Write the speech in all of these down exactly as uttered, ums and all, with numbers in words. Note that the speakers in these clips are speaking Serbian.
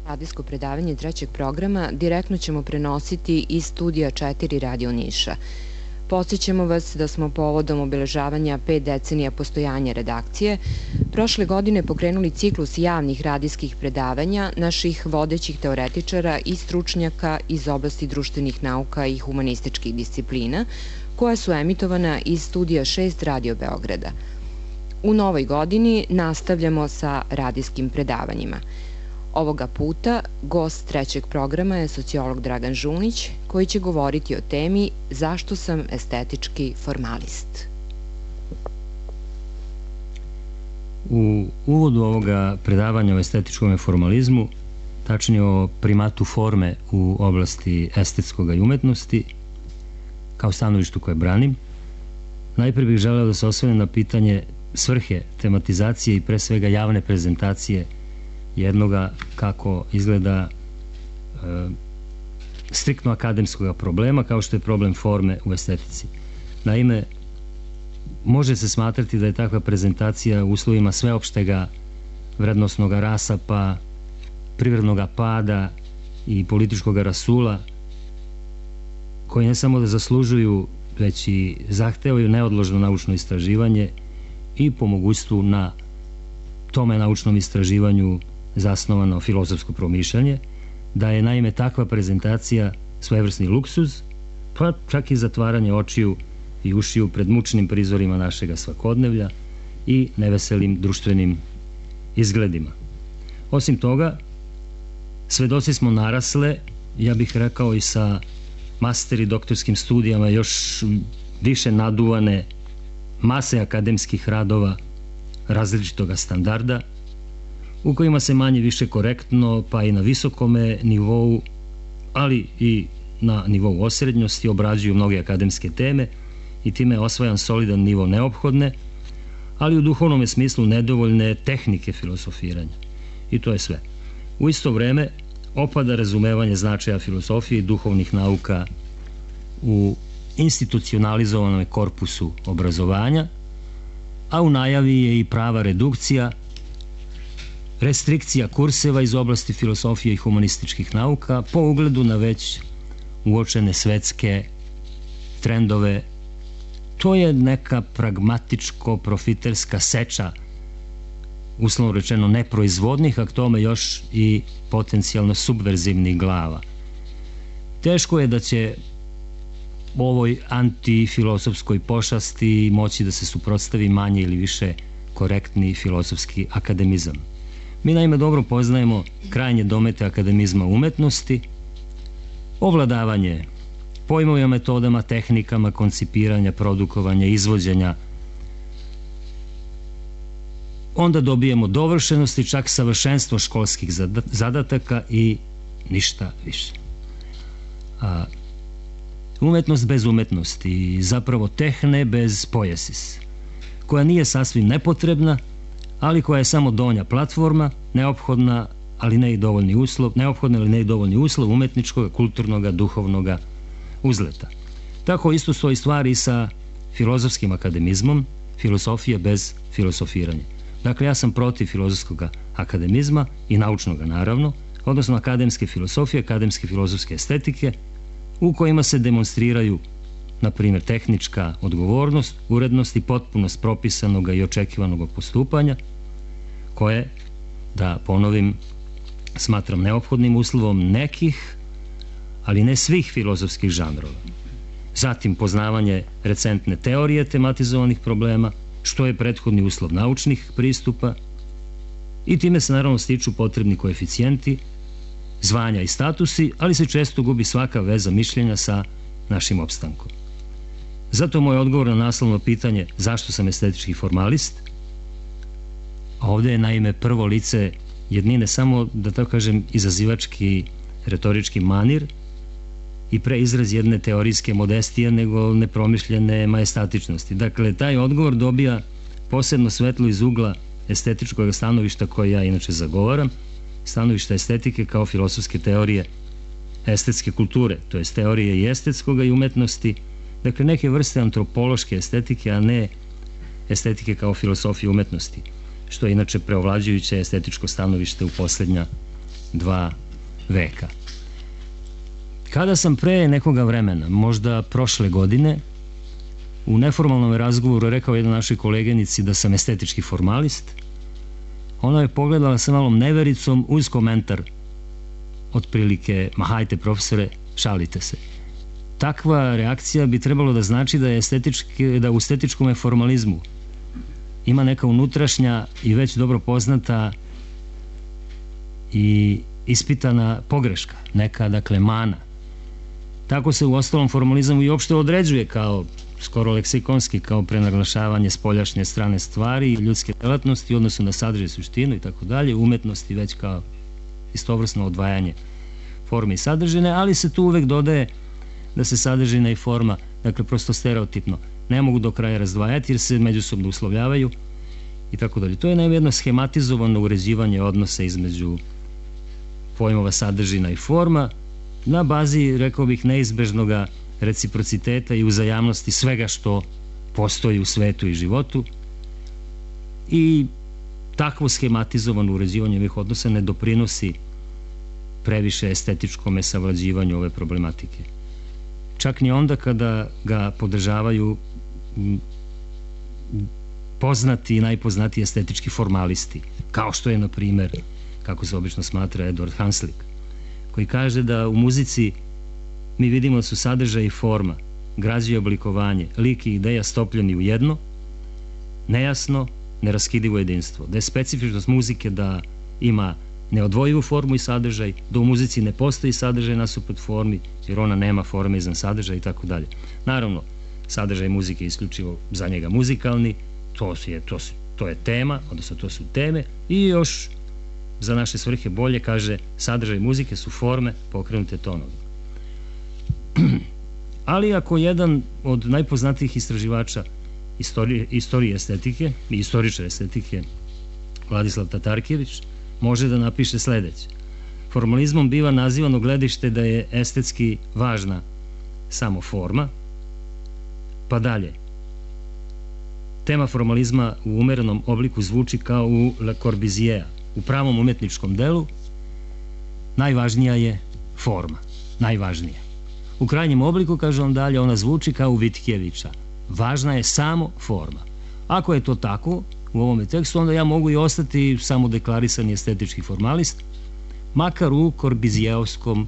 Radijsko predavanje trećeg programa direktno ćemo prenositi iz studija četiri Radio Niša. Podsjećamo vas da smo povodom obeležavanja pet decenija postojanja redakcije prošle godine pokrenuli ciklus javnih radijskih predavanja naših vodećih teoretičara i stručnjaka iz oblasti društvenih nauka i humanističkih disciplina, koja su emitovana iz studija šest Radio Beograda. U novoj godini nastavljamo sa radijskim predavanjima. Ovoga puta gost trećeg programa je sociolog Dragan Žunić, koji će govoriti o temi zašto sam estetički formalist. U uvodu ovoga predavanja o estetičkom formalizmu, tačnije o primatu forme u oblasti estetskoga i umetnosti, kao stanovištu koje branim, najprije bih želeo da se osvrnem na pitanje svrhe, tematizacije i pre svega javne prezentacije jednoga kako izgleda e, striktno akademskog problema, kao što je problem forme u estetici. Naime, može se smatrati da je takva prezentacija u uslovima sveopštega vrednosnog rasapa, privrednog pada i političkog rasula, koji ne samo da zaslužuju, već i zahtevaju neodložno naučno istraživanje i po mogućstvu na tome naučnom istraživanju zasnovano filozofsko promišljanje, da je naime takva prezentacija svojevrsni luksuz, pa čak i zatvaranje očiju i ušiju pred mučnim prizorima našega svakodnevlja i neveselim društvenim izgledima. Osim toga, svedoci smo narasle, ja bih rekao i sa master i doktorskim studijama još više naduvane mase akademskih radova različitoga standarda, u kojima se manje više korektno, pa i na visokome nivou, ali i na nivou osrednjosti obrađuju mnoge akademske teme i time je osvajan solidan nivo neophodne, ali u duhovnom smislu nedovoljne tehnike filosofiranja. I to je sve. U isto vreme opada razumevanje značaja filosofije i duhovnih nauka u institucionalizovanom korpusu obrazovanja, a u najavi je i prava redukcija, restrikcija kurseva iz oblasti filosofije i humanističkih nauka po ugledu na već uočene svetske trendove. To je neka pragmatičko-profiterska seča, uslovno rečeno neproizvodnih, a k tome još i potencijalno subverzivnih glava. Teško je da će ovoj antifilosofskoj pošasti moći da se suprotstavi manje ili više korektni filozofski akademizam. Mi naime dobro poznajemo krajnje domete akademizma umetnosti, ovladavanje pojmovima, metodama, tehnikama koncipiranja, produkovanja, izvođenja. Onda dobijemo dovršenost i čak savršenstvo školskih zadataka i ništa više. A umetnost bez umetnosti i zapravo tehne bez poiesis, koja nije sasvim nepotrebna, ali koja je samo donja platforma, neophodna, ali ne i dovoljni uslov, neophodna ali ne i dovoljni uslov umetničkog, kulturnog, duhovnog uzleta. Tako isto stoji stvari i sa filozofskim akademizmom, filosofije bez filosofiranja. Dakle, ja sam protiv filozofskog akademizma i naučnog, naravno, odnosno akademske filosofije, akademske filozofske estetike, u kojima se demonstriraju, na primjer, tehnička odgovornost, urednost i potpunost propisanog i očekivanog postupanja, koje, da ponovim, smatram neophodnim uslovom nekih, ali ne svih filozofskih žanrova. Zatim, poznavanje recentne teorije tematizovanih problema, što je prethodni uslov naučnih pristupa, i time se naravno stiču potrebni koeficijenti, zvanja i statusi, ali se često gubi svaka veza mišljenja sa našim opstankom. Zato moj odgovor na naslovno pitanje zašto sam estetički formalist, a ovde je naime prvo lice jednine samo, da tako kažem, izazivački retorički manir i pre izraz jedne teorijske modestije nego nepromišljene majestatičnosti. Dakle, taj odgovor dobija posebno svetlo iz ugla estetičkog stanovišta koje ja inače zagovaram, stanovišta estetike kao filosofske teorije estetske kulture, to je teorije i estetskog i umetnosti, dakle neke vrste antropološke estetike, a ne estetike kao filosofije umetnosti, što je inače preovlađujuće estetičko stanovište u poslednja dva veka. Kada sam pre nekoga vremena, možda prošle godine, u neformalnom razgovoru rekao jednoj našoj kolegenici da sam estetički formalist, ona je pogledala sa malom nevericom uz komentar otprilike, ma hajte profesore, šalite se. Takva reakcija bi trebalo da znači da, je estetički, da u estetičkom formalizmu ima neka unutrašnja i već dobro poznata i ispitana pogreška, neka, dakle, mana. Tako se u ostalom formalizam i uopšte određuje kao skoro leksikonski, kao prenaglašavanje spoljašnje strane stvari, ljudske delatnosti u odnosu na sadržaj, suštinu i tako dalje, umetnosti već kao istovrsno odvajanje forme i sadržine, ali se tu uvek dodaje da se sadržina i forma, dakle, prosto stereotipno, ne mogu do kraja razdvajati jer se međusobno uslovljavaju i tako dalje. To je naime jedno schematizovano uređivanje odnosa između pojmova sadržina i forma na bazi, rekao bih, neizbežnoga reciprociteta i uzajamnosti svega što postoji u svetu i životu, i takvo schematizovano uređivanje ovih odnosa ne doprinosi previše estetičkome savlađivanju ove problematike. Čak ni onda kada ga podržavaju poznati i najpoznatiji estetički formalisti, kao što je, na primer, kako se obično smatra, Edward Hanslick, koji kaže da u muzici mi vidimo da su sadržaj i forma, građa i oblikovanje, lik i ideja stopljeni u jedno, nejasno, neraskidivo jedinstvo. Da je specifičnost muzike da ima neodvojivu formu i sadržaj, da u muzici ne postoji sadržaj nasuprot formi, jer ona nema forme izvan sadržaja i tako dalje. Naravno, sadržaj muzike je isključivo za njega muzikalni, to je, to, to je tema, odnosno to su teme, i još za naše svrhe bolje kaže sadržaj muzike su forme pokrenute tonovi. Ali ako jedan od najpoznatijih istraživača istorije, istorije estetike i istoričar estetike, Vladislav Tatarkijević, može da napiše sledeće: formalizmom biva nazivano gledište da je estetski važna samo forma, pa dalje. Tema formalizma u umerenom obliku zvuči kao u Le Corbusiera. U pravom umetničkom delu najvažnija je forma, najvažnija. U krajnjem obliku, kaže on dalje, ona zvuči kao u Vitkijevića. Važna je samo forma. Ako je to tako u ovome tekstu, onda ja mogu i ostati samo deklarisani estetički formalist, makar u korbizijevskom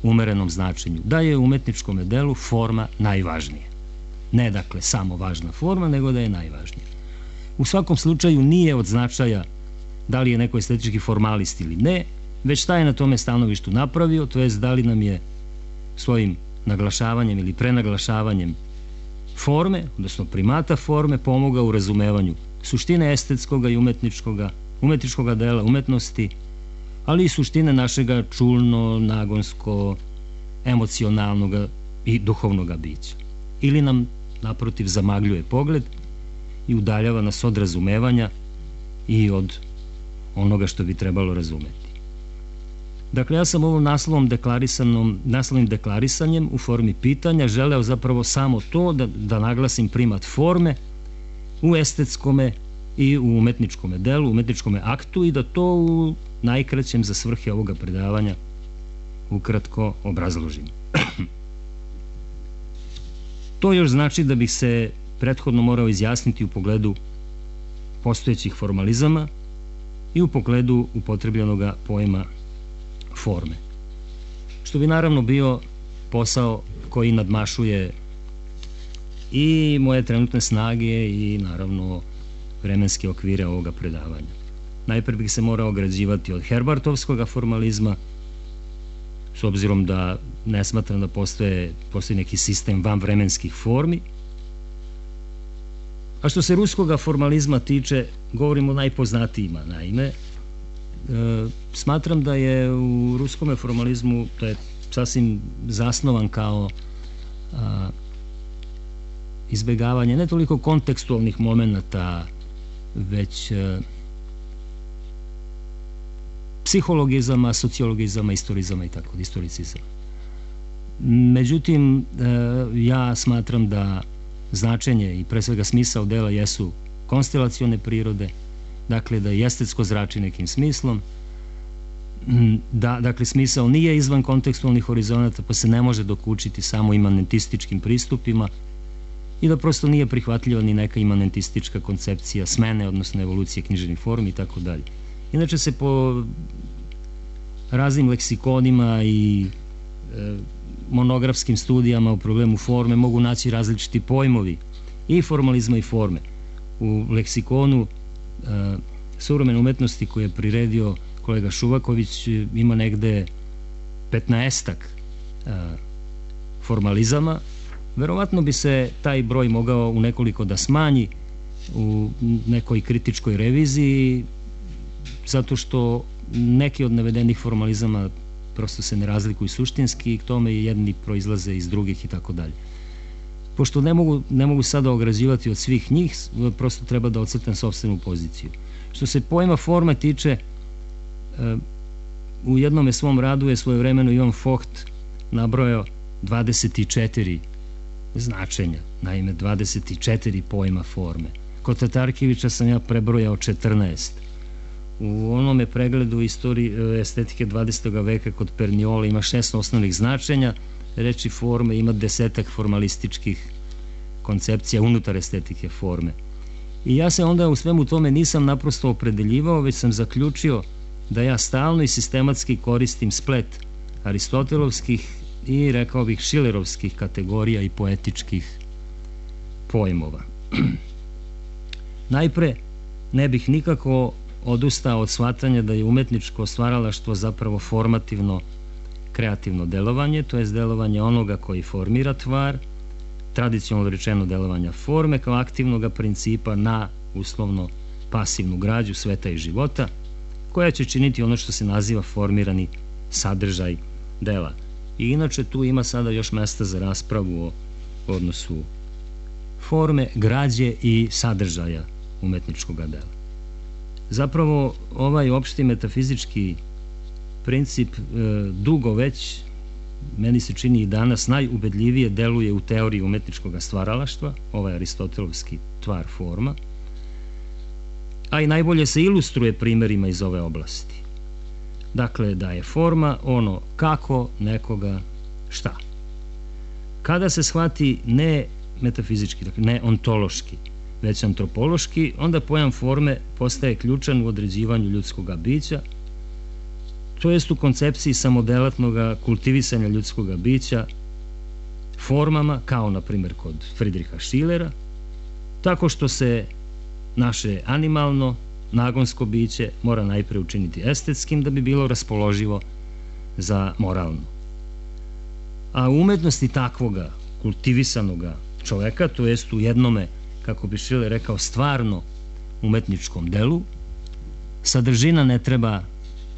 umerenom značenju, da je u umetničkom delu forma najvažnija. Ne, dakle, samo važna forma, nego da je najvažnija. U svakom slučaju nije od značaja da li je neko estetički formalist ili ne, već šta je na tome stanovištu napravio, to jest da li nam je svojim naglašavanjem ili prenaglašavanjem forme, odnosno primata forme, pomogao u razumevanju suštine estetskoga i umetničkoga, umetničkoga dela, umetnosti, ali i suštine našega čulno, nagonsko, emocionalnog i duhovnog bića. Ili nam, naprotiv, zamagljuje pogled i udaljava nas od razumevanja i od onoga što bi trebalo razumeti. Dakle, ja sam ovom naslovom deklarisanom, naslovnim deklarisanjem u formi pitanja želeo zapravo samo to da, da naglasim primat forme u estetskome i u umetničkome delu, umetničkome aktu, i da to u najkraćem za svrhe ovoga predavanja ukratko obrazložim. To još znači da bih se prethodno morao izjasniti u pogledu postojećih formalizama i u pogledu upotrebljenoga pojma forme. Što bi naravno bio posao koji nadmašuje i moje trenutne snage i naravno vremenske okvire ovoga predavanja. Najpre bih se morao ograđivati od Herbartovskoga formalizma, s obzirom da ne smatram da postoje, postoji neki sistem vanvremenskih formi. A što se ruskoga formalizma tiče, govorimo o najpoznatijima, naime. E, smatram da je u ruskome formalizmu, to je sasvim zasnovan kao a, izbegavanje ne toliko kontekstualnih momenata, već a, psihologizama, sociologizama, istorizama i tako, istoricizama. Međutim, ja smatram da značenje i pre svega smisao dela jesu konstelacione prirode, dakle da je estetsko zrači nekim smislom, da, dakle, smisao nije izvan kontekstualnih horizonata, pa se ne može dokučiti samo imanentističkim pristupima i da prosto nije prihvatljiva ni neka imanentistička koncepcija smene, odnosno evolucije književnih formi i tako dalje. Inače se po raznim leksikonima i e, monografskim studijama u problemu forme mogu naći različiti pojmovi i formalizma i forme. U leksikonu e, suvremene umetnosti koje je priredio kolega Šuvaković ima negde petnaestak e, formalizama. Verovatno bi se taj broj mogao u nekoliko da smanji u nekoj kritičkoj reviziji, zato što neki od navedenih formalizama prosto se ne razlikuju suštinski i k tome jedni proizlaze iz drugih i tako dalje. Pošto ne mogu, ne mogu sada ograđivati od svih njih, prosto treba da ocrtam sopstvenu poziciju. Što se pojma forma tiče, u jednom svom radu je svojevremeno Ivan Focht nabrojao dvadeset četiri značenja, naime dvadeset četiri pojma forme. Kod Tatarkivića sam ja prebrojao četrnaest. U onome pregledu istorije estetike dvadesetog veka kod Perniola ima šest osnovnih značenja reči forme, ima desetak formalističkih koncepcija unutar estetike forme. I ja se onda u svemu tome nisam naprosto opredeljivao, već sam zaključio da ja stalno i sistematski koristim splet aristotelovskih i, rekao bih, šilerovskih kategorija i poetičkih pojmova. Najpre, ne bih nikako odustao od shvatanja da je umetničko stvaralaštvo zapravo formativno kreativno delovanje, to je delovanje onoga koji formira tvar, tradicionalno rečeno delovanja forme kao aktivnog principa na uslovno pasivnu građu sveta i života, koja će činiti ono što se naziva formirani sadržaj dela. I inače tu ima sada još mesta za raspravu o odnosu forme, građe i sadržaja umetničkog dela. Zapravo ovaj opšti metafizički princip e, dugo već, meni se čini i danas, najubedljivije deluje u teoriji umetničkog stvaralaštva, ovaj aristotelovski tvar forma, a i najbolje se ilustruje primerima iz ove oblasti. Dakle, da je forma ono kako nekoga šta. Kada se shvati ne metafizički, dakle ne ontološki, već antropološki, onda pojam forme postaje ključan u određivanju ljudskog bića, to jest u koncepciji samodelatnog kultivisanja ljudskog bića formama, kao na primjer kod Friedricha Schillera, tako što se naše animalno, nagonsko biće mora najpre učiniti estetskim da bi bilo raspoloživo za moralno. A u umetnosti takvoga kultivisanoga čoveka, to jest u jednome, kako bi Schiller rekao, stvarno umetničkom delu, sadržina ne treba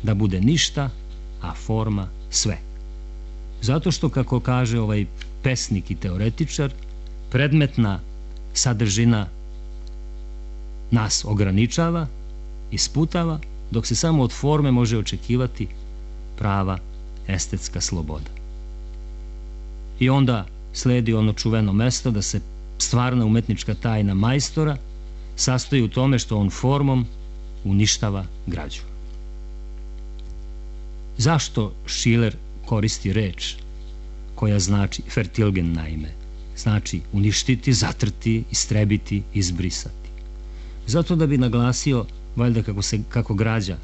da bude ništa, a forma sve. Zato što, kako kaže ovaj pesnik i teoretičar, predmetna sadržina nas ograničava, isputava, dok se samo od forme može očekivati prava estetska sloboda. I onda sledi ono čuveno mesto da se stvarna umetnička tajna majstora sastoji u tome što on formom uništava građu. Zašto Schiller koristi reč koja znači vertilgen, naime? Znači uništiti, zatrti, istrebiti, izbrisati. Zato da bi naglasio, valjda kako, se, kako građa,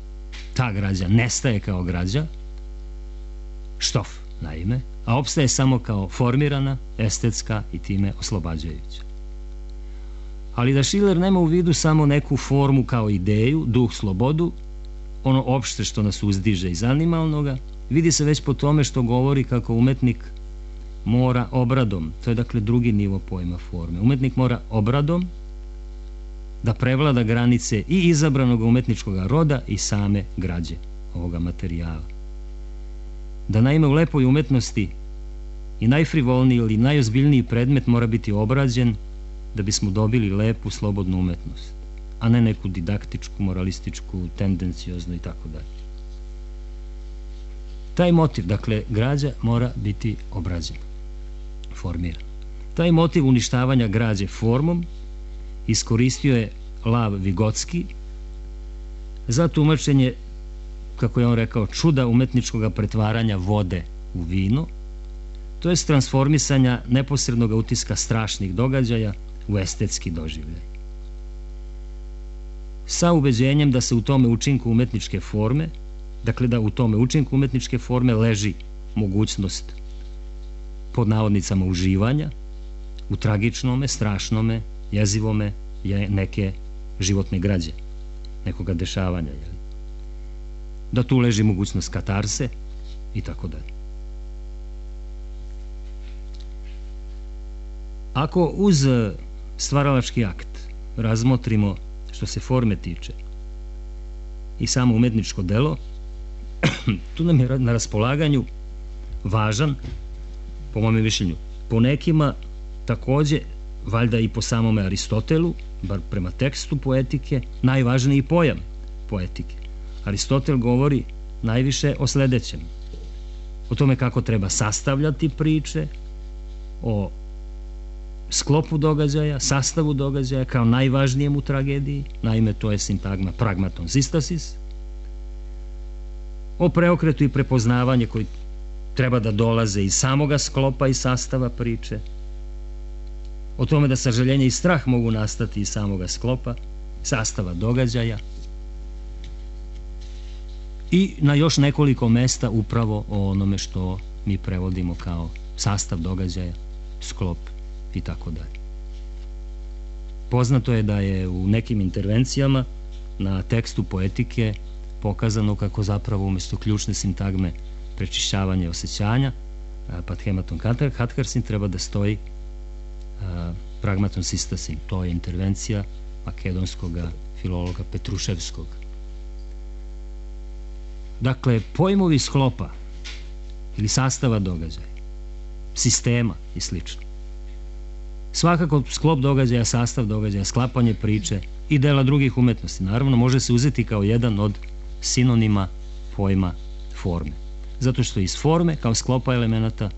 ta građa nestaje kao građa, štof, naime, a opstaje samo kao formirana, estetska i time oslobađajuća. Ali da Schiller nema u vidu samo neku formu kao ideju, duh, slobodu, ono opšte što nas uzdiže iz animalnoga, vidi se već po tome što govori kako umetnik mora obradom, to je dakle drugi nivo pojma forme, umetnik mora obradom da prevlada granice i izabranog umetničkog roda i same građe ovoga materijala. Da naime u lepoj umetnosti i najfrivolniji ili najozbiljniji predmet mora biti obrađen da bismo dobili lepu, slobodnu umetnost, a ne neku didaktičku, moralističku, tendencioznu i tako dalje. Taj motiv, dakle, građa mora biti obrađena, formirana. Taj motiv uništavanja građe formom iskoristio je Lav Vigotski za tumačenje kako je on rekao, čuda umetničkog pretvaranja vode u vino, to je transformisanja neposrednog utiska strašnih događaja u estetski doživljaj. Sa ubeđenjem da se u tome učinku umetničke forme, dakle da u tome učinku umetničke forme leži mogućnost pod navodnicama uživanja u tragičnome, strašnome, jezivome neke životne građe, nekoga dešavanja, jel? Da tu leži mogućnost katarse i tako dalje. Ako uz stvaralački akt razmotrimo, što se forme tiče, i samo umetničko delo, tu nam je na raspolaganju važan, po mome mišljenju, po nekima takođe, valjda i po samome Aristotelu, bar prema tekstu poetike, najvažniji pojam poetike. Aristotel govori najviše o sledećem: o tome kako treba sastavljati priče, o sklopu događaja, sastavu događaja kao najvažnijem u tragediji, naime to je sintagma pragmaton sistasis, o preokretu i prepoznavanje koji treba da dolaze iz samoga sklopa i sastava priče, o tome da sažaljenje i strah mogu nastati iz samoga sklopa, sastava događaja, i na još nekoliko mesta upravo o onome što mi prevodimo kao sastav događaja, sklop i tako dalje. Poznato je da je u nekim intervencijama na tekstu poetike pokazano kako zapravo umesto ključne sintagme prečišćavanje osjećanja, pathematon katharsin, treba da stoji pragmaton sistasin. To je intervencija makedonskog filologa Petruševskog. Dakle, pojmovi sklopa ili sastava događaja, sistema i slično. Svakako sklop događaja, sastav događaja, sklapanje priče i dela drugih umetnosti, naravno, može se uzeti kao jedan od sinonima pojma forme. Zato što iz forme, kao sklopa elemenata,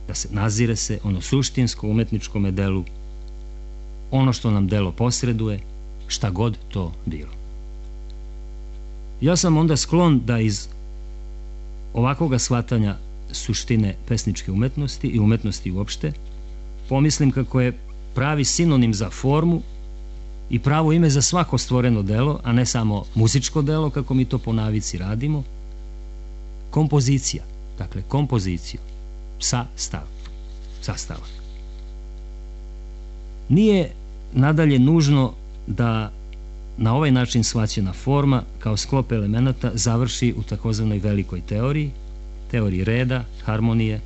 da se nazire se ono suštinsko umetničkome delu, ono što nam delo posreduje, šta god to bilo. Ja sam onda sklon da iz ovakvoga shvatanja suštine pesničke umetnosti i umetnosti uopšte pomislim kako je pravi sinonim za formu i pravo ime za svako stvoreno delo, a ne samo muzičko delo, kako mi to po navici radimo, kompozicija. Dakle, kompoziciju, sastav, sastavak. Nije nadalje nužno da na ovaj način shvaćena forma kao sklop elemenata završi u takozvanoj velikoj teoriji, teoriji reda, harmonije,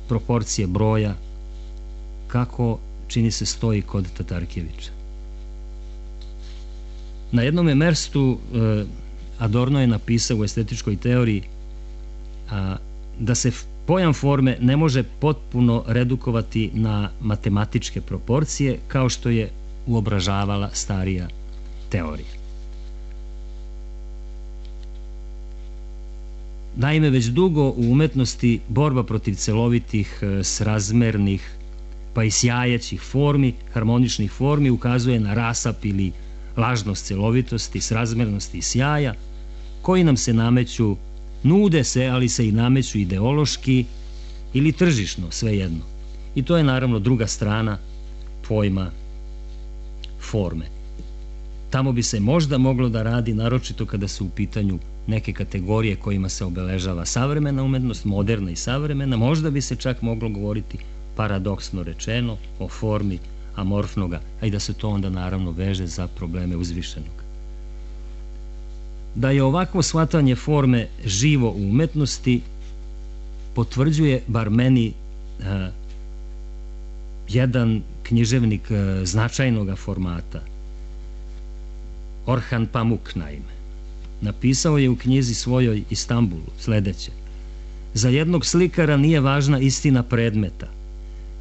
proporcije broja, kako čini se stoji kod Tatarkevića. Na jednome mestu Adorno je napisao u estetičkoj teoriji da se pojam forme ne može potpuno redukovati na matematičke proporcije kao što je uobražavala starija teorija. Naime, već dugo u umetnosti borba protiv celovitih, srazmernih, pa i sjajećih formi, harmoničnih formi ukazuje na rasap ili lažnost celovitosti, srazmernosti i sjaja, koji nam se nameću, nude se, ali se i nameću ideološki ili tržišno, svejedno. I to je naravno druga strana pojma forme. Tamo bi se možda moglo da radi, naročito kada su u pitanju neke kategorije kojima se obeležava savremena umetnost, moderna i savremena, možda bi se čak moglo govoriti, paradoksno rečeno, o formi amorfnoga, a i da se to onda naravno veže za probleme uzvišenog. Da je ovakvo shvatanje forme živo u umetnosti potvrđuje, bar meni, jedan književnik značajnog formata, Orhan Pamuk, naime. Napisao je u knjizi svojoj Istanbulu sledeće: za jednog slikara nije važna istina predmeta,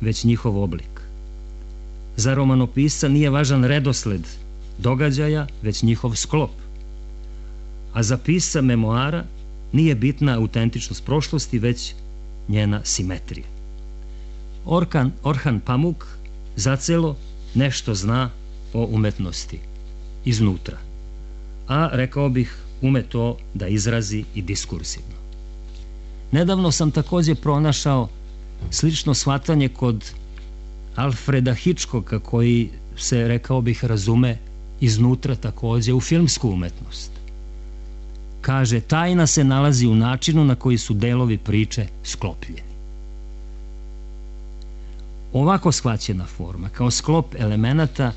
već njihov oblik. Za romanopisca nije važan redosled događaja, već njihov sklop. A za pisca memoara nije bitna autentičnost prošlosti, već njena simetrija. Orkan, Orhan Pamuk zacelo nešto zna o umetnosti iznutra. A rekao bih ume to da izrazi i diskursivno. Nedavno sam takođe pronašao slično shvatanje kod Alfreda Hitchcocka, koji se, rekao bih, razume iznutra takođe u filmsku umetnost. Kaže, tajna se nalazi u načinu na koji su delovi priče sklopljeni. Ovako shvaćena forma, kao sklop elemenata,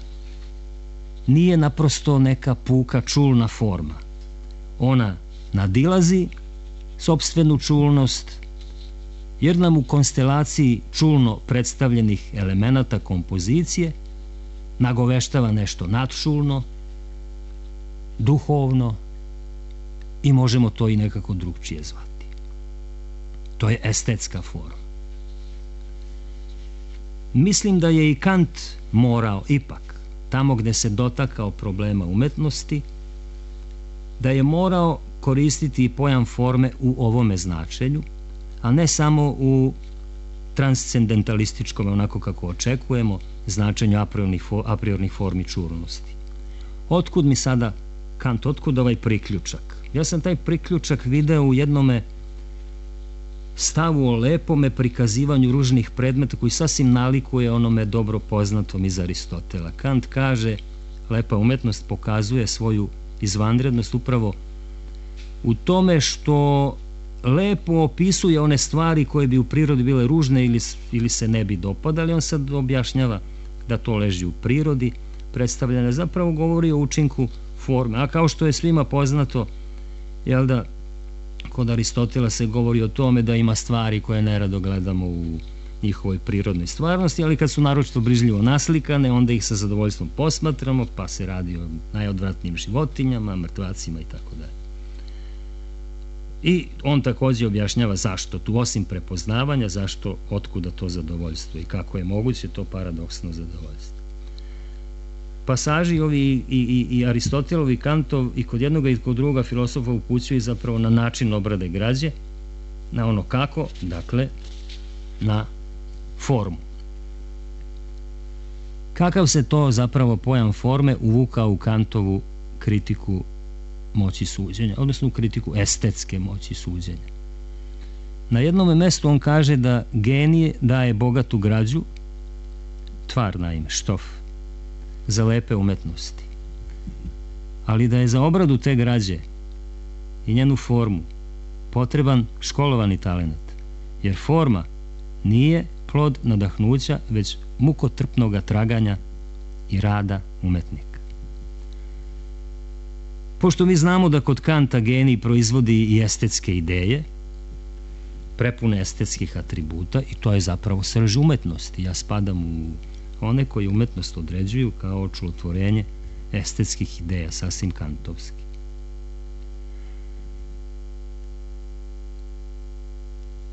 nije naprosto neka puka čulna forma. Ona nadilazi sopstvenu čulnost, jer nam u konstelaciji čulno predstavljenih elemenata kompozicije nagoveštava nešto nadčulno, duhovno i možemo to i nekako drugčije zvati. To je estetska forma. Mislim da je i Kant morao ipak, tamo gde se dotakao problema umetnosti, da je morao koristiti i pojam forme u ovome značenju, a ne samo u transcendentalističkom, onako kako očekujemo, značenju a priornih formi čulnosti. Otkud mi sada, Kant, otkud ovaj priključak? Ja sam taj priključak video u jednome stavu o lepome prikazivanju ružnih predmeta koji sasvim nalikuje onome dobro poznatom iz Aristotela. Kant kaže, lepa umetnost pokazuje svoju izvanrednost upravo u tome što lepo opisuje one stvari koje bi u prirodi bile ružne ili, ili se ne bi dopadali. On sad objašnjava da to leži u prirodi, predstavljene zapravo govori o učinku forme. A kao što je svima poznato, jel da, kod Aristotela se govori o tome da ima stvari koje nerado gledamo u njihovoj prirodnoj stvarnosti, ali kad su naročito brižljivo naslikane, onda ih sa zadovoljstvom posmatramo, pa se radi o najodvratnijim životinjama, mrtvacima i tako dalje. I on takođe objašnjava zašto tu, osim prepoznavanja, zašto, otkuda to zadovoljstvo i kako je moguće to paradoksno zadovoljstvo. Pasaži ovi i, i, i Aristotelov i Kantov i kod jednoga i kod druga filosofa upućuju zapravo na način obrade građe, na ono kako, dakle, na formu. Kakav se to zapravo pojam forme uvukao u Kantovu kritiku moći suđenja, odnosno u kritiku estetske moći suđenja. Na jednom mestu on kaže da genije daje bogatu građu, tvar naime, štof, za lepe umetnosti, ali da je za obradu te građe i njenu formu potreban školovani talenat, jer forma nije plod nadahnuća, već mukotrpnoga traganja i rada umetnika. Pošto mi znamo da kod Kanta genij proizvodi i estetske ideje, prepune estetskih atributa, i to je zapravo srž umetnosti. Ja spadam u one koji umetnost određuju kao čudotvorenje estetskih ideja, sasvim kantovski.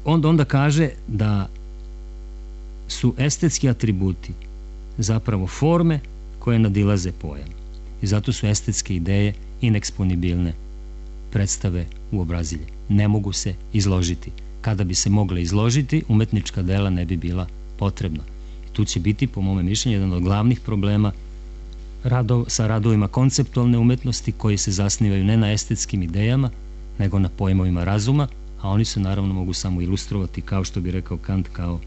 Onda onda kaže da su estetski atributi zapravo forme koje nadilaze pojam. I zato su estetske ideje ineksponibilne, predstave uobrazilje. Ne mogu se izložiti. Kada bi se mogle izložiti, umetnička dela ne bi bila potrebna. I tu će biti, po mome mišljenju, jedan od glavnih problema rado, sa radovima konceptualne umetnosti koji se zasnivaju ne na estetskim idejama, nego na pojmovima razuma, a oni se naravno mogu samo ilustrovati, kao što bi rekao Kant, kao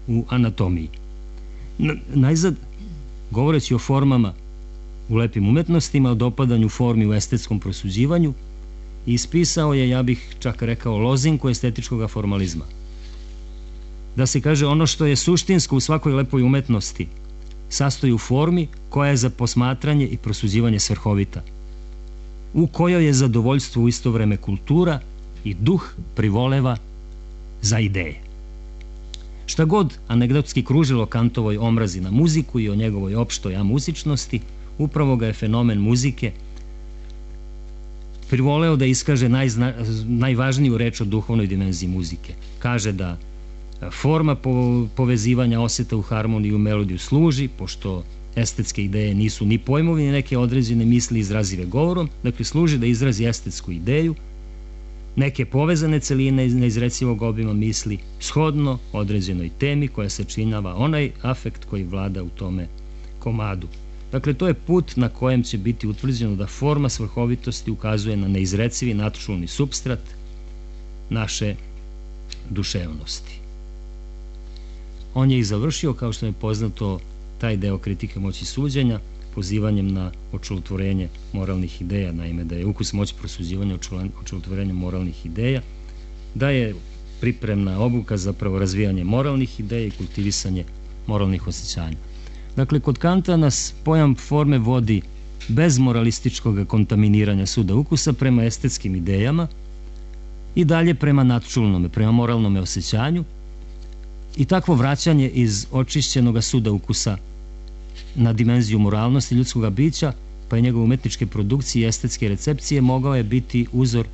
u anatomiji. Najzad, govoreći o formama u lepim umetnostima, o dopadanju formi u estetskom prosuđivanju, ispisao je, ja bih čak rekao, lozinku estetičkog formalizma. Da se kaže, ono što je suštinsko u svakoj lepoj umetnosti sastoji u formi koja je za posmatranje i prosuđivanje svrhovita, u kojoj je zadovoljstvo u isto vreme kultura i duh privoleva za ideje. Šta god anegdotski kružilo Kantovoj omrazi na muziku i o njegovoj opštoj amuzičnosti, upravo ga je fenomen muzike privoleo da iskaže najzna, najvažniju reč o duhovnoj dimenziji muzike. Kaže da forma po, povezivanja oseta u harmoniju i u melodiju služi, pošto estetske ideje nisu ni pojmovi, ni neke određene misli izrazive govorom, dakle služi da izrazi estetsku ideju, neke povezane celine iz neizrecivog obima misli, shodno određenoj temi koja se činjava onaj afekt koji vlada u tome komadu. Dakle, to je put na kojem će biti utvrđeno da forma svrhovitosti ukazuje na neizrecivi natčulni supstrat naše duševnosti. On je i završio, kao što je poznato, taj deo kritike moći suđenja, pozivanjem na očelotvorenje moralnih ideja, naime da je ukus moć prosuđivanja očelotvorenja moralnih ideja, da je pripremna obuka zapravo razvijanje moralnih ideja i kultivisanje moralnih osjećanja. Dakle, kod Kanta nas pojam forme vodi bez moralističkog kontaminiranja suda ukusa prema estetskim idejama i dalje prema natčulnome, prema moralnome osjećanju, i takvo vraćanje iz očišćenog suda ukusa na dimenziju moralnosti ljudskog bića, pa je njegove umetničke produkcije i estetske recepcije mogao je biti uzor,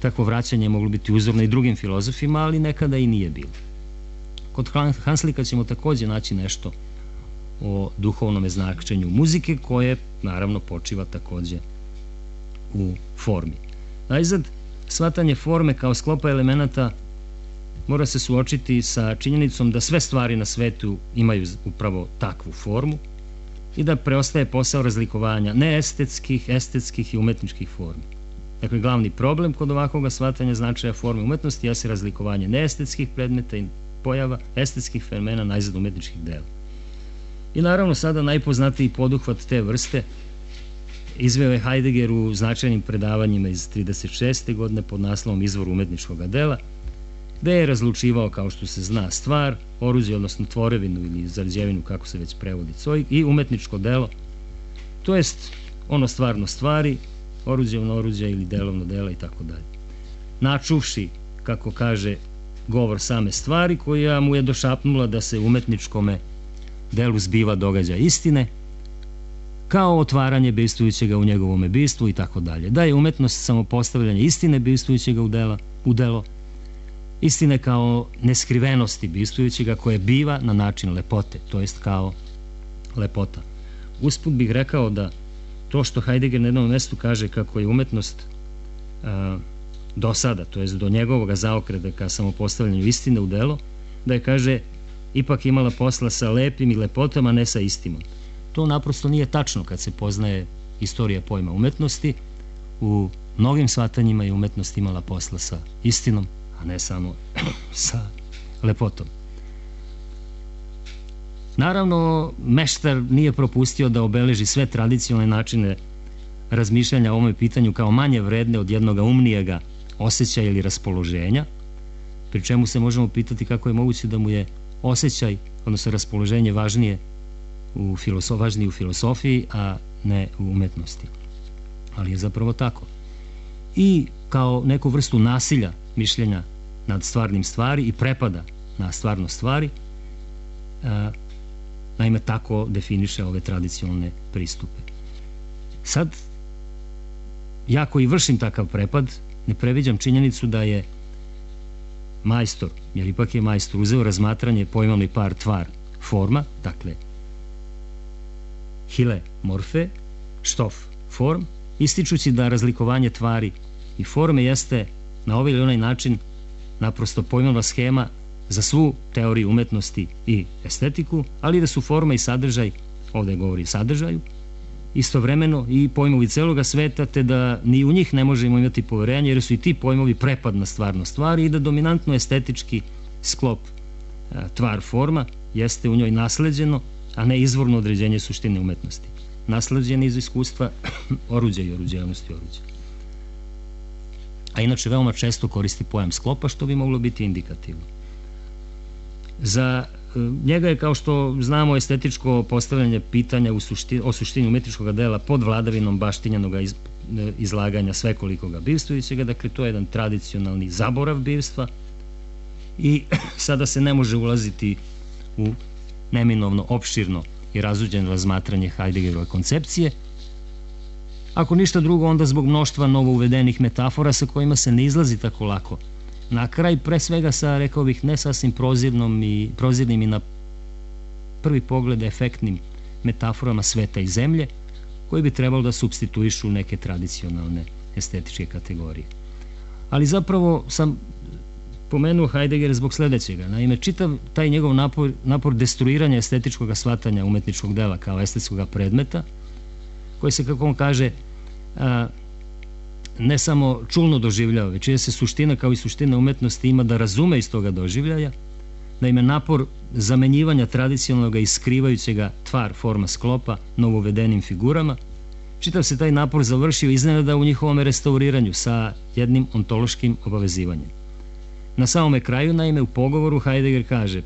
takvo vraćanje je moglo biti uzorno i drugim filozofima, ali nekada i nije bilo. Kod Hanslika ćemo takođe naći nešto o duhovnom značenju muzike, koje naravno počiva takođe u formi. Najzad, shvatanje forme kao sklopa elemenata mora se suočiti sa činjenicom da sve stvari na svetu imaju upravo takvu formu i da preostaje posao razlikovanja neestetskih, estetskih i umetničkih formi. Dakle, glavni problem kod ovakvog shvatanja značaja forme umetnosti jeste razlikovanje neestetskih predmeta i pojava estetskih fenomena najzad umetničkih dela. I naravno sada najpoznatiji poduhvat te vrste izveo je Heidegger u značajnim predavanjima iz trideset šeste godine pod naslovom Izvor umetničkog dela, gde je razlučivao, kao što se zna, stvar, oruđe, odnosno tvorevinu ili zarđevinu, kako se već prevodi cojg, i umetničko delo, to jest ono stvarno stvari, oruđevno oruđe ili delovno dela i tako dalje. Načuvši, kako kaže, govor same stvari, koja mu je došapnula da se umetničkome delu zbiva događa istine, kao otvaranje bivstvujućega u njegovome bivstvu i tako dalje. Da je umetnost samopostavljanje istine bivstvujućega u, dela, u delo, istine kao neskrivenosti bivstvujućega koje biva na način lepote, to jest kao lepota. Usput bih rekao da to što Heidegger na jednom mestu kaže kako je umetnost a, do sada, to jest do njegovog zaokreta ka samopostavljanju istine u delo, da je, kaže, ipak imala posla sa lepim i lepotama, ne sa istinom. To naprosto nije tačno kad se poznaje istorija pojma umetnosti. U mnogim shvatanjima je umetnost imala posla sa istinom, a ne samo sa lepotom. Naravno, meštar nije propustio da obeleži sve tradicionalne načine razmišljanja o ovome pitanju kao manje vredne od jednoga umnijega osjećaja ili raspoloženja, pri čemu se možemo pitati kako je moguće da mu je osjećaj, odnosno raspoloženje važnije u filosofiji, važnije u filosofiji, a ne u umetnosti. Ali je zapravo tako. I kao neku vrstu nasilja mišljenja nad stvarnim stvari i prepada na stvarno stvari, a, naime tako definiše ove tradicionalne pristupe. Sad, ja koji vršim takav prepad, ne previđam činjenicu da je majstor, jer ipak je majstor, uzeo razmatranje pojmovni par tvar forma, dakle hile morfe, štof form, ističući da razlikovanje tvari i forme jeste na ovaj ili onaj način naprosto pojmovna schema za svu teoriju umetnosti i estetiku, ali da su forma i sadržaj, ovde govori sadržaju, istovremeno i pojmovi celoga sveta, te da ni u njih ne možemo imati poverenje, jer su i ti pojmovi prepad na stvarno stvari i da dominantno estetički sklop tvar forma jeste u njoj nasleđeno, a ne izvorno određenje suštine umetnosti. Nasleđeno iz iskustva oruđa i oruđevnosti oruđa. A inače veoma često koristi pojam sklopa, što bi moglo biti indikativno. Za njega je, kao što znamo, estetičko postavljanje pitanja u suštini, o suštini umetničkog dela pod vladavinom baštinjenog iz, izlaganja svekolikoga bivstvujućega, dakle to je jedan tradicionalni zaborav bivstva i sada se ne može ulaziti u neminovno opširno i razuđeno razmatranje Heideggerove koncepcije. Ako ništa drugo, onda zbog mnoštva novo uvedenih metafora sa kojima se ne izlazi tako lako. Na kraj, pre svega sa, rekao bih, ne sasvim prozirnom i, prozirnim i na prvi pogled efektnim metaforama sveta i zemlje, koji bi trebalo da supstituišu neke tradicionalne estetičke kategorije. Ali zapravo sam pomenuo Heidegger zbog sledećega. Naime, čitav taj njegov napor, napor destruiranja estetičkog shvatanja umetničkog dela kao estetskog predmeta, koji se, kako on kaže, a, ne samo čulno doživljava, već je se suština kao i suština umetnosti ima da razume iz toga doživljaja. Naime, napor zamenjivanja tradicionalnog i skrivajućega tvar, forma, sklopa novovedenim figurama, čitav se taj napor završio iznenada u njihovom restauriranju sa jednim ontološkim obavezivanjem. Na samome kraju, naime, u pogovoru Heidegger kaže,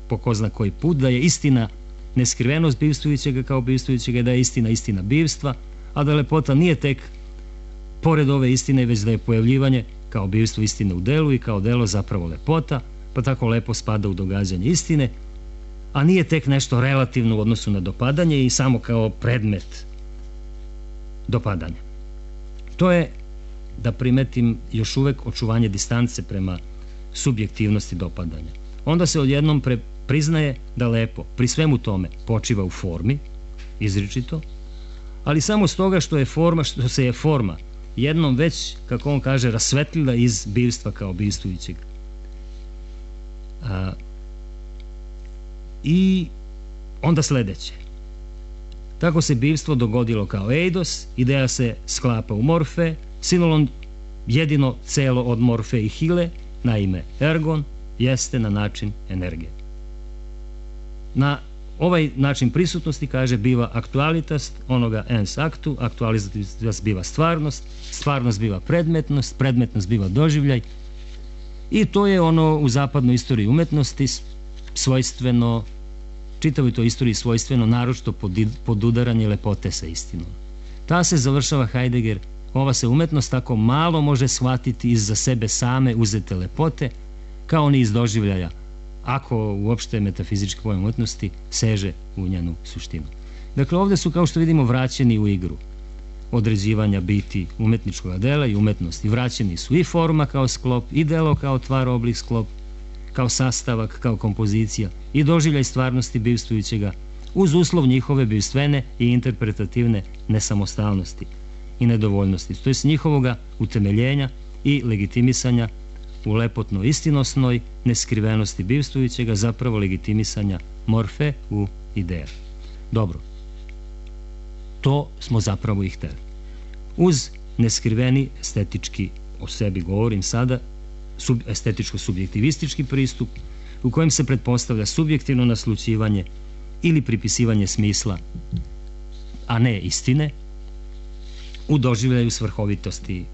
po ko zna koji put, da je istina neskrivenost bivstvujućega kao bivstvujućega, da je istina istina bivstva, a da lepota nije tek pored ove istine, već da je pojavljivanje kao bivstvo istine u delu i kao delo zapravo lepota, pa tako lepo spada u događanje istine, a nije tek nešto relativno u odnosu na dopadanje i samo kao predmet dopadanja. To je, da primetim, još uvek očuvanje distance prema subjektivnosti dopadanja. Onda se odjednom pre, priznaje da lepo pri svemu tome počiva u formi, izričito, ali samo stoga što je forma, što se je forma jednom već, kako on kaže, rasvetlila iz bivstva kao bivstvujućeg. A, I onda sledeće. Tako se bivstvo dogodilo kao eidos, ideja se sklapa u morfe, sinolon jedino celo od morfe i hile, naime ergon, jeste na način energije. Na ovaj način prisutnosti, kaže, biva aktualitas onoga ens aktu, aktualitas biva stvarnost, stvarnost biva predmetnost, predmetnost biva doživljaj i to je ono u zapadnoj istoriji umetnosti svojstveno, čitavoj toj istoriji svojstveno, naročito podudaranje lepote sa istinom. Ta se, završava Heidegger, ova se umetnost tako malo može shvatiti iz za sebe same uzete lepote, kao ni iz doživljaja, ako uopšte metafizički pojam umetnosti seže u njenu suštinu. Dakle, ovde su, kao što vidimo, vraćeni u igru određivanja biti umetničkog dela i umetnosti. Vraćeni su i forma kao sklop, i delo kao tvar, oblik, sklop, kao sastavak, kao kompozicija, i doživljaj stvarnosti bivstvujućega, uz uslov njihove bivstvene i interpretativne nesamostalnosti i nedovoljnosti, to je njihovoga utemeljenja i legitimisanja u lepotno istinosnoj neskrivenosti bivstvujućega, zapravo legitimisanja morfe u ideja. Dobro, to smo zapravo i hteli. Uz neskriveni estetički, o sebi govorim sada, sub, estetičko-subjektivistički pristup u kojem se pretpostavlja subjektivno naslućivanje ili pripisivanje smisla, a ne istine, u doživljaju svrhovitosti,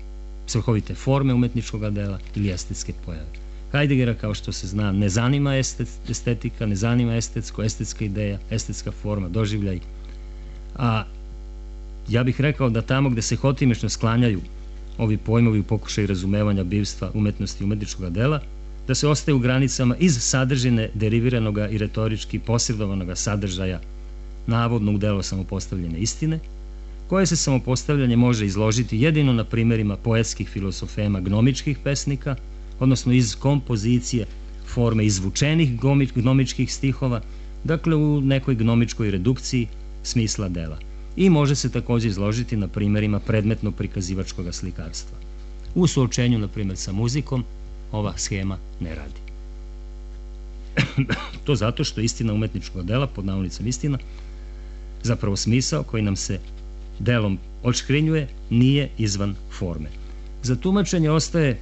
svrhovite forme umetničkog dela ili estetske pojave. Heideggera, kao što se zna, ne zanima estetika, ne zanima estetsko, estetska ideja, estetska forma, doživljaj, a ja bih rekao da tamo gde se hotimično sklanjaju ovi pojmovi u pokušaju razumevanja bivstva, umetnosti i umetničkog dela, da se ostaje u granicama iz sadržine deriviranog i retorički posredovanog sadržaja navodno u delo samopostavljene istine, koje se samopostavljanje može izložiti jedino na primerima poetskih filosofema gnomičkih pesnika, odnosno iz kompozicije forme izvučenih gnomičkih stihova, dakle u nekoj gnomičkoj redukciji smisla dela. I može se takođe izložiti na primerima predmetno-prikazivačkog slikarstva. U suočenju, na primer, sa muzikom, ova schema ne radi. To zato što istina umetničkog dela, pod navodnicom istina, zapravo smisao koji nam se delom odškrinjuje, nije izvan forme. Za tumačenje ostaje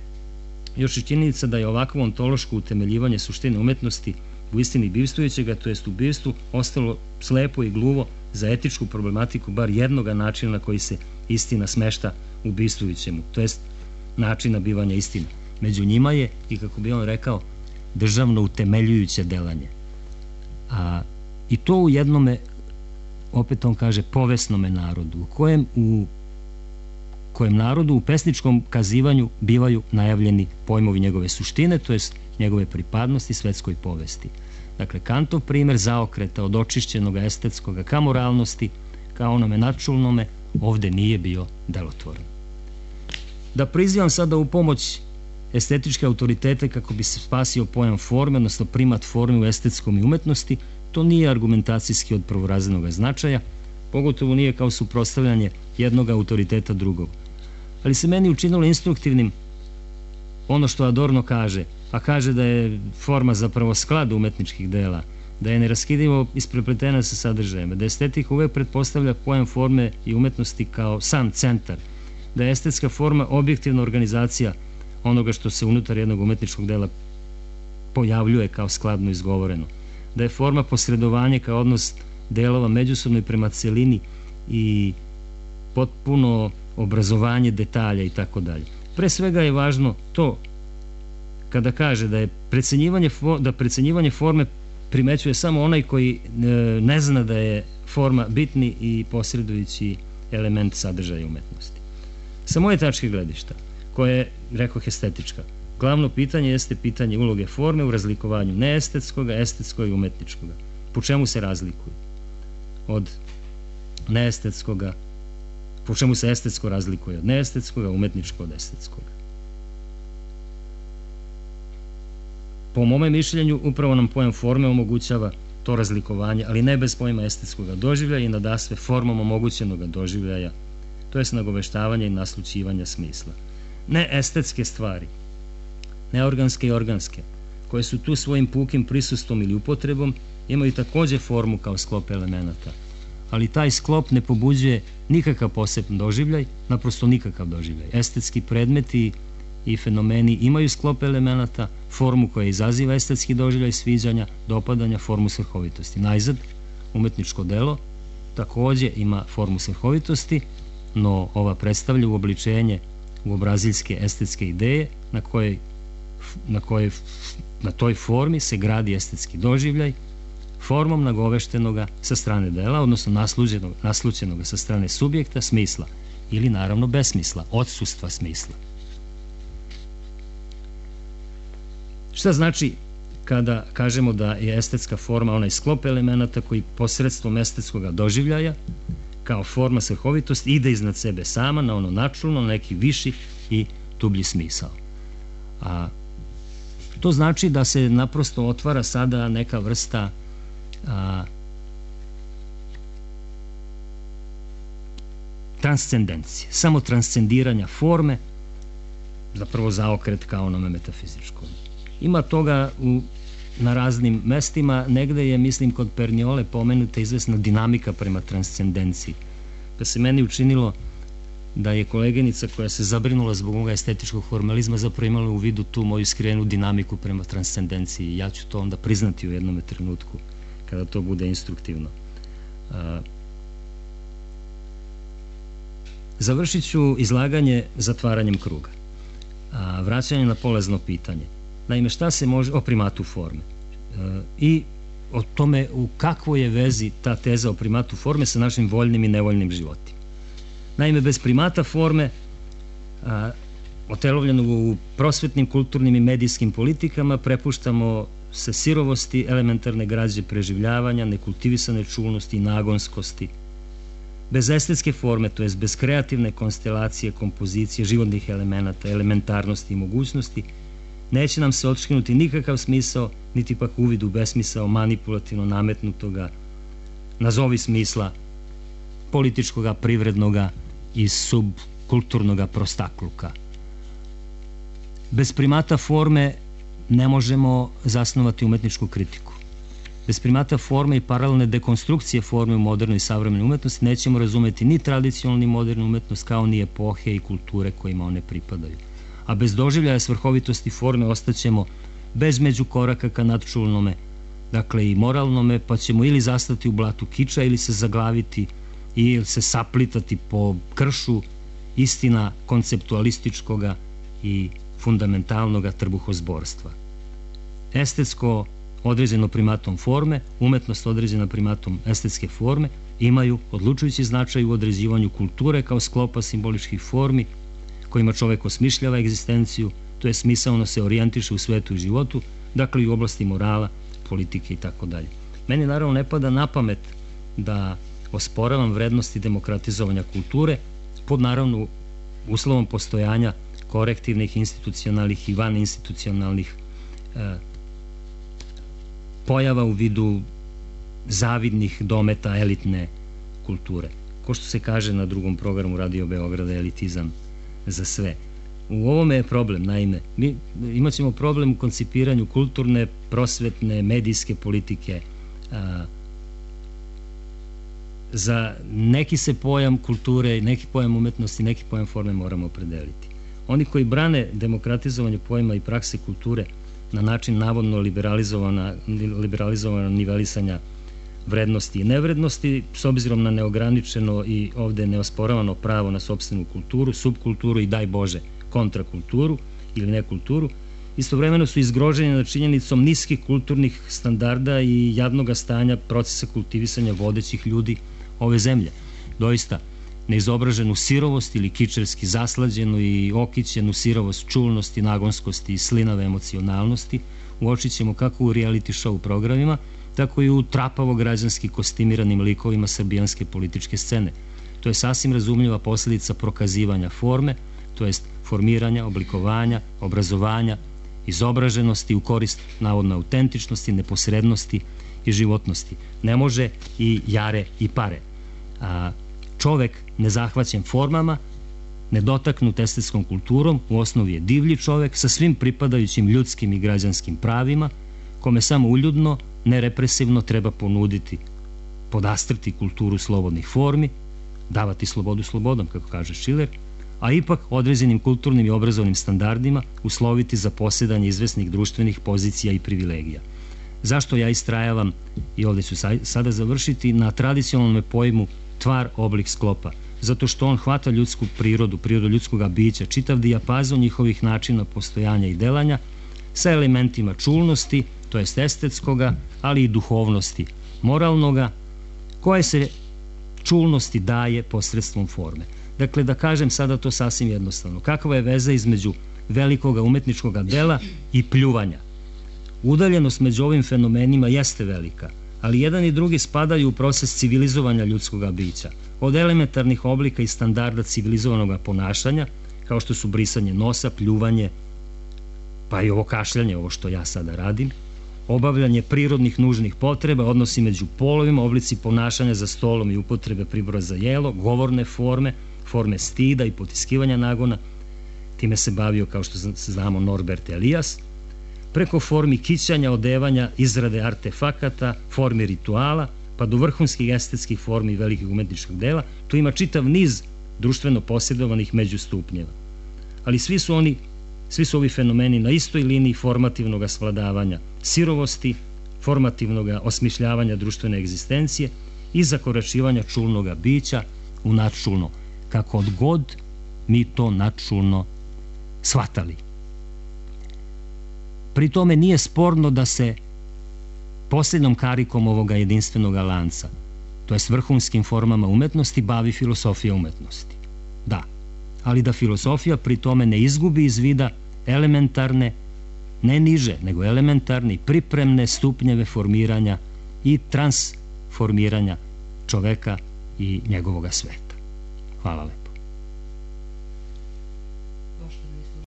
još i činjenica da je ovakvo ontološko utemeljivanje suštine umetnosti u istini bivstvujućega, to jest u bivstvu, ostalo slepo i gluvo za etičku problematiku bar jednoga načina na koji se istina smešta u bivstvujućemu, to jest načina bivanja istine. Među njima je, i kako bi on rekao, državno utemeljujuće delanje. A, I to u jednome, opet on kaže, povesnome narodu, u kojem, u kojem narodu u pesničkom kazivanju bivaju najavljeni pojmovi njegove suštine, to jest njegove pripadnosti svetskoj povesti. Dakle, Kantov primer zaokreta od očišćenog estetskog ka moralnosti, ka onome načulnome, ovde nije bio delotvoran. Da prizivam sada u pomoć estetičke autoritete kako bi se spasio pojam forme, odnosno primat forme u estetskom i umetnosti, to nije argumentacijski od prvorazrednog značaja, pogotovo nije kao suprotstavljanje jednog autoriteta drugog. Ali se meni učinilo instruktivnim ono što Adorno kaže, a kaže da je forma zapravo sklad umetničkih dela, da je neraskidivo isprepletena sa sadržajima, da estetika uvek pretpostavlja pojam forme i umetnosti kao sam centar, da je estetska forma objektivna organizacija onoga što se unutar jednog umetničkog dela pojavljuje kao skladno izgovoreno, da je forma posredovanje kao odnos delova međusobno i prema celini i potpuno obrazovanje detalja i tako dalje. Pre svega je važno to kada kaže da je precenjivanje, da precenjivanje forme primećuje samo onaj koji ne zna da je forma bitni i posredujući element sadržaja umetnosti. Sa moje tačke gledišta, koje je, rekoh, estetička, glavno pitanje jeste pitanje uloge forme u razlikovanju neestetskoga, estetskoga i umetničkoga. Po čemu se razlikuju? Od neestetskoga, po čemu se estetsko razlikuje od neestetskoga, umetničko od estetskoga. Po mome mišljenju, upravo nam pojam forme omogućava to razlikovanje, ali ne bez pojma estetskoga doživljaja i nadasve formom omogućenoga doživljaja, to je nagoveštavanja i naslućivanja smisla. Ne estetske stvari, neorganske i organske, koje su tu svojim pukim prisustvom ili upotrebom, imaju takođe formu kao sklop elemenata, ali taj sklop ne pobuđuje nikakav poseban doživljaj, naprosto nikakav doživljaj. Estetski predmeti i fenomeni imaju sklop elemenata, formu koja izaziva estetski doživljaj sviđanja, dopadanja, formu svrhovitosti. Najzad, umetničko delo takođe ima formu svrhovitosti, no ova predstavlja uobličenje uobraziljske estetske ideje na kojoj na kojoj na toj formi se gradi estetski doživljaj, formom nagoveštenoga sa strane dela, odnosno naslućenoga sa strane subjekta, smisla, ili naravno besmisla, odsustva smisla. Šta znači kada kažemo da je estetska forma onaj sklop elemenata koji posredstvom estetskoga doživljaja, kao forma svrhovitosti, ide iznad sebe sama, na ono načulno, na neki viši i dublji smisao. A to znači da se naprosto otvara sada neka vrsta a, transcendencije, samo transcendiranja forme, zapravo zaokret kao onome metafizičkom. Ima toga u, na raznim mestima, negde je, mislim, kod Perniole pomenuta izvesna dinamika prema transcendenciji. Pa se meni učinilo da je koleginica koja se zabrinula zbog ovoga estetičkog formalizma zapravo imala u vidu tu moju skrivenu dinamiku prema transcendenciji. Ja ću to onda priznati u jednom trenutku kada to bude instruktivno. Završit ću izlaganje zatvaranjem kruga, vraćanje na polazno pitanje. Naime, šta se može o primatu forme i o tome u kakvoj je vezi ta teza o primatu forme sa našim voljnim i nevoljnim životima. Naime, bez primata forme, otelovljenog u prosvetnim, kulturnim i medijskim politikama, prepuštamo se sirovosti, elementarne građe preživljavanja, nekultivisane čulnosti i nagonskosti. Bez estetske forme, to jest bez kreativne konstelacije, kompozicije, životnih elemenata, elementarnosti i mogućnosti, neće nam se otškinuti nikakav smisao, niti pak uvid u besmisao manipulativno nametnutoga, nazovi smisla, političkoga, privrednoga i subkulturnoga prostakluka. Bez primata forme ne možemo zasnovati umetničku kritiku. Bez primata forme i paralelne dekonstrukcije forme u modernoj i savremenoj umetnosti nećemo razumeti ni tradicionalnu ni modernu umetnost, kao ni epohe i kulture kojima one pripadaju. A bez doživljaja svrhovitosti forme ostaćemo bez međukoraka ka nadčulnome, dakle i moralnome, pa ćemo ili zastati u blatu kiča ili se zaglaviti ili se saplitati po kršu istina konceptualističkoga i fundamentalnoga trbuhozborstva. Estetsko određeno primatom forme, umetnost određena primatom estetske forme, imaju odlučujući značaj u određivanju kulture kao sklopa simboličkih formi kojima čovek osmišljava egzistenciju, to je smisaono se orijentiše u svetu i životu, dakle i u oblasti morala, politike i tako dalje. Meni naravno ne pada na pamet da osporavam vrednosti demokratizovanja kulture pod naravno uslovom postojanja korektivnih, institucionalnih i vaninstitucionalnih e, pojava u vidu zavidnih dometa elitne kulture. Ko što se kaže na drugom programu Radio Beograda, elitizam za sve. U ovome je problem, naime. Mi imat ćemo problem u koncipiranju kulturne, prosvetne, medijske politike. Za neki se pojam kulture, neki pojam umetnosti, neki pojam forme moramo opredeliti. Oni koji brane demokratizovanje pojma i prakse kulture na način navodno liberalizovana, liberalizovana nivelisanja vrednosti i nevrednosti, s obzirom na neograničeno i ovde neosporavano pravo na sopstvenu kulturu, subkulturu i daj Bože kontrakulturu ili nekulturu, istovremeno su izgroženi nad činjenicom niskih kulturnih standarda i jadnog stanja procesa kultivisanja vodećih ljudi ove zemlje. Doista, neizobraženu sirovost ili kičerski zaslađenu i okićenu sirovost čulnosti, nagonskosti i slinave emocionalnosti uočit ćemo kako u reality show programima, tako i u trapavo građanski kostimiranim likovima srbijanske političke scene. To je sasvim razumljiva posljedica prokazivanja forme, to jest formiranja, oblikovanja, obrazovanja, izobraženosti u korist navodno autentičnosti, neposrednosti i životnosti. Ne može i jare i pare. A čovek nezahvaćen formama, nedotaknut estetskom kulturom, u osnovi je divlji čovek sa svim pripadajućim ljudskim i građanskim pravima, kome samo uljudno, nerepresivno treba ponuditi, podastrti kulturu slobodnih formi, davati slobodu slobodom, kako kaže Šiler, a ipak određenim kulturnim i obrazovnim standardima usloviti za posjedanje izvesnih društvenih pozicija i privilegija. Zašto ja istrajavam, i ovde ću sada završiti, na tradicionalnom pojmu tvar, oblik, sklopa? Zato što on hvata ljudsku prirodu, prirodu ljudskog bića, čitav dijapazon njihovih načina postojanja i delanja, sa elementima čulnosti, to jest estetskoga, ali i duhovnosti, moralnoga, koje se čulnosti daje posredstvom forme. Dakle, da kažem sada to sasvim jednostavno. Kakva je veza između velikoga umetničkog dela i pljuvanja? Udaljenost među ovim fenomenima jeste velika, ali jedan i drugi spadaju u proces civilizovanja ljudskog bića. Od elementarnih oblika i standarda civilizovanog ponašanja, kao što su brisanje nosa, pljuvanje, pa i ovo kašljanje, ovo što ja sada radim, obavljanje prirodnih nužnih potreba, odnosi među polovima, oblici ponašanja za stolom i upotrebe pribora za jelo, govorne forme, forme stida i potiskivanja nagona, time se bavio, kao što znamo, Norbert Elias, preko formi kićanja, odevanja, izrade artefakata, formi rituala, pa do vrhunskih estetskih formi velikih umetničkog dela, tu ima čitav niz društveno posjedovanih međustupnjeva. Ali svi su oni, svi su ovi fenomeni na istoj liniji formativnog svladavanja, sirovosti, formativnog osmišljavanja društvene egzistencije i zakoračivanja čulnog bića u nadčulno, kako god mi to nadčulno shvatali. Pri tome nije sporno da se posljednom karikom ovoga jedinstvenog lanca, to jest vrhunskim formama umetnosti, bavi filosofija umetnosti. Da, ali da filosofija pri tome ne izgubi iz vida elementarne, ne niže, nego elementarne i pripremne stupnjeve formiranja i transformiranja čoveka i njegovoga sveta. Hvala lepo.